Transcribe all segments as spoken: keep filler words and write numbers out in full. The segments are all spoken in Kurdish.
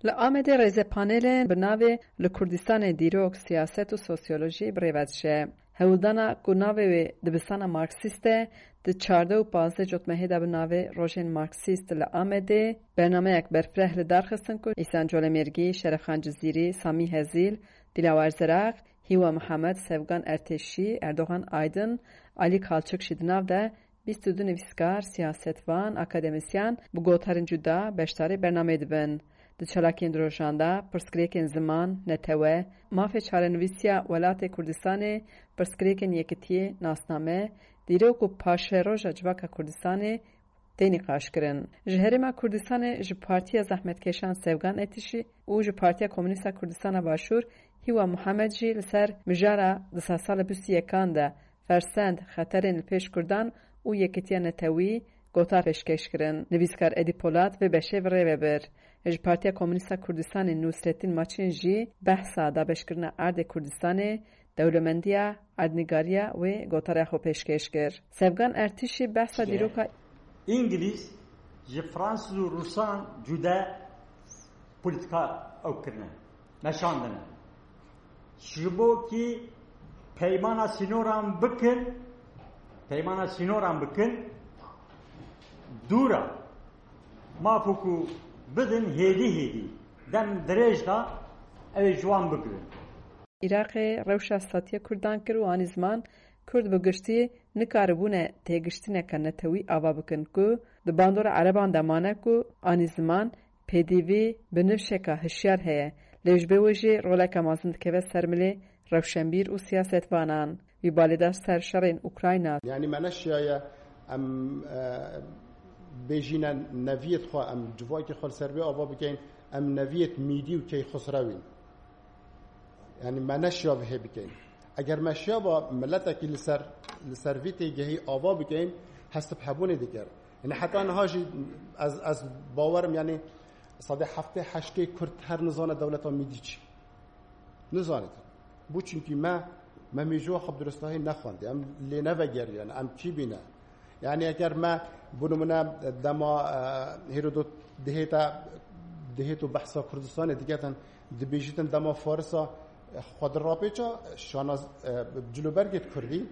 Li Amedê rêzepanelên bi navê Li Kurdistanê dîrok, siyaset û sosyolojî bi rê ve diçe. Hewldana ku navê wê dibistana Marksîst e, di çardeh û pazdeh cotmehê de bi navê Rojên Marksîst li Amedê bernameyek berfireh li dar xistin ku Îhsan Colemêrgî, Şerefxan Cizîrî, Samî Hezîl, Dilawer Zeraq, Hîwa Mihemed, Sevgan Ertêşî, Erdogan Aydin, Alî Kalçik jî di nav de bîst û du nivîskar, siyasetvan, akademisyen bi gotarên cuda beşdarî bernameyê dibin. Di çalakiyên di rojan de pirsgirêkên ziman, netewe, mafê çarenivîsiya welatê Kurdistanê, pirsgirêkên yekitiyê, nasname, dîrok û paşeroja civaka Kurdistanê tê nîqaşkirin. Ji Herêma Kurdistanê ji Partiya Zehmetkeşan Sevgan Etişî û ji Partiya Komûnîst a Kurdistana Başûr Hîwa Muhemed jî li ser mijara di sedsalê bîst û yekan de fersend, xeterên li pêş Kurdan û yekitiya netewî gotar pêşkêş kirin. Nivîskar Edî Polat vê beşê bi rê ve bir. Ji Partiya Komûnîst a Kurdistanê Nusretîn Maçin jî behsa dabeşkirina erdê Kurdistanê, dewlemendiya, erdnîgariya wê gotarê xwe pêşkêş kir. Sevgan Ertişî behsa dîroka Îngilîz ji Fransîz û Rûsan cude polîtîka ew kirine, meşandine. Ji bo kî peymana sînoran bikin, peymana sînoran bikin, dûra mafû ku bidin hêdî hêdî, dem dirêj da, ew ê ji wan bigirin. Iraqê rewşa statiya Kurdan kir û anî ziman Kurd bi giştî nikaribûne têgiştineke netewî ava bikin ku di bandora Ereban de mane ku anî ziman pêdivî bi nifşeka hişyar heye, lê ji bo wê jî roleke mezin dikeve ser milê rewşenbîr û siyasetvanan. Wî balê da ser şerên Ukrayna. Yanî me neşiyaye em, e, bêjîne neviyêt xwe, em civakê xwe li ser vê ava bikeyn, em neviyêt Mîdî û Keyxusrewîn. Yanî me neşiya vihê bikeyn. Eger me şiyaba miletekî li ser, li ser vî têgehî ava bikeyn, hestib hebûnê diker. Yanî heta niha jî ez, ez bawerim, yanî sedê heftê heştê Kurd her nizane dewleta Mîdî çi. Nizanît. Bû çunkî me, me mêjûya xwe bi duristahî nexwendî. Em lê nevegeriyan, em kî bîne? Yanî eger me, bo nimûne, dema, e, Herodot dihête, dihêt û behsa Kurdistanê diketin, dibêjitin dema Farisa, e, xwe dirapêça, şanaz-, e, cilûbergêt Kurdî, e,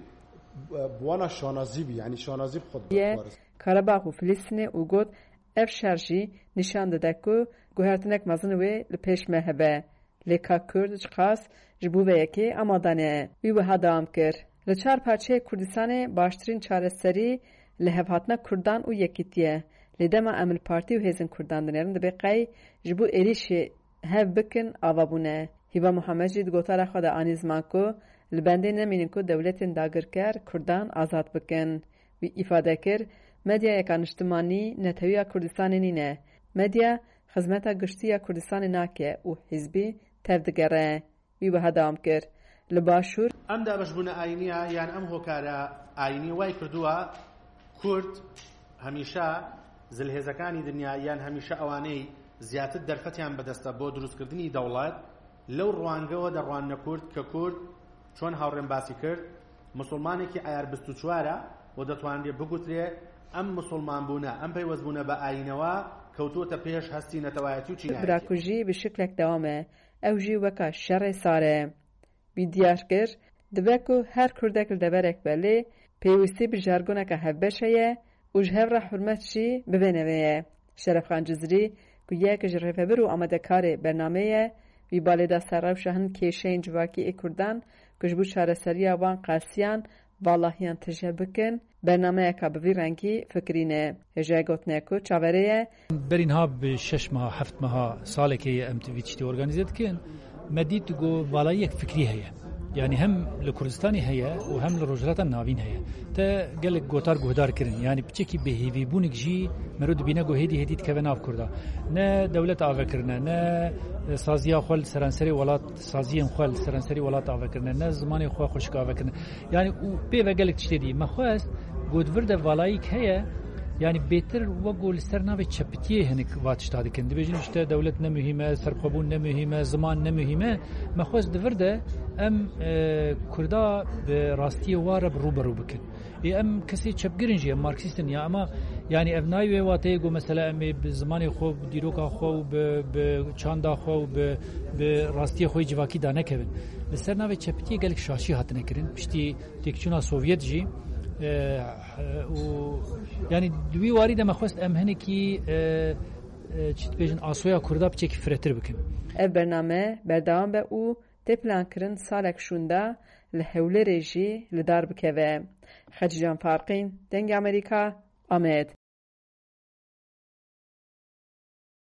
bi wana şanazî bî, yanî şanazî bi xwe Ye, Faris. Karabağ û Filistînê û got, ev şer jî nîşan dide ku guhertinek mezin wê li pêş me hebe. Lê ka Kurd çiqas ji bo vê yekê amade ne. Wî wiha dewam kir, li çar parçeyê Kurdistanê baştirîn çareserî li hevhatina Kurdan û yekîtî ye. Lê dema em li partî û hêzên Kurdan dinêrin, dibe qey ji bo êrîşê hev bikin ava bûne. Hîva Muhemed jî di gotara xwe de anî ziman ku li bendê nemînin ku dewletên dagirker Kurdan azad bikin. Wî îfade kir, medyayeka niştimanî netewiya Kurdistanê nîne. Medya xizmeta giştî ya Kurdistanê nake û hizbî tevdigere. Wî wiha dewam kir, li Başûr. ئەم دابەشبوونە ئاینییە یان ئەم هۆکارە ئاینییە وای کردووە کورد هەمیشە زلهێزەکانی دنیا یان هەمیشە ئەوانەی زیاتر دەرفەتیان بەدەستە بۆ دروستکردنی دەوڵەت، لەو ڕوانگەوە دەڕواننە کورد کە کورد، چۆن هاوڕێم باسی کرد، مسوڵمانێکی عەیار بیست و چوارە و دەتوانرێ بگوترێ ئەم مسوڵمانبوونە، ئەم پەیوەستبوونە بە ئاینەوە کەوتووەتە پێش هەستی نەتەوایەتی و چینایەتی. Birakujî bi şiklek dewam e. Ew jî weka şerê sar e. Wî diyar kir, dibe ku her Kurdek li deverek be, lê pêwîstî bi jargoneke hevbeş heye û ji hev re hurmet jî bi vê navê ye. Şerefxan Cizrî, ku yek ji rêvebir û amadekarê bernameyê ye, wî balê da ser rewşa hin kêşeyên civakî ê Kurdan ku ji bo çareseriya wan qelsiyan valahiyan tije bikin, bernameyeka bi vî rengî fikirîne. Hêjayê gotinê ku çaverê ye. Berî niha bi şeş meha, heft meha, salekê ye em vî tiştî organîze dikin. Me dît ku valayiyek fikrî heye. Yanî hem li Kurdistanê heye û hem li Rojhilata Navîn heye. Te gelek gotar guhdar kirin. Yanî piçekî bêhêvîbûnik jî mero dibîne ku hêdî hêdî dikeve nav Kurda. Ne dewlet ave kirine, ne saziya xwe li seranserê welat, saziyên xwe li seranserê welat ave kirine, ne zimanê xwe xweşik ave kirine. Yanî û pê ve gelek tiştê dî. Me xwest, got vir de valayîk heye, Yani bêtir wek ku li ser navê çepitiyê hinek va tişta dikin. Dibêjin işte dewlet ne muhîm e, serxwebûn ne muhîm e, ziman ne muhîm e. Me xwest di vir de em, e, Kurda bi rastiyê wa re bi rû bi rû bikin. Ê em kesê çepgir in jî, em Marksîst in ya, ama yani ev nayê wê wateyê ku mesela em ê bi zimanê xwe, bi dîroka xwe û bi, bi çanda xwe û bi, bi rastiyê xwe yê civakî danekevin. Li ser navê çepitiyê gelek şaşî hatine kirin. Piştî têkçûna Sovyet jî, e, û yani di wî warî de me xwest em hinekî, e, e, çi dibêjin, asoya Kurda piçekî firehtir bikin. Ev bername berdewam be û tê plankirin salek şûnda li Hewlêrê jî li dar bikeve. Xecîcan Farqîn, Dengê Amerîka, Amed.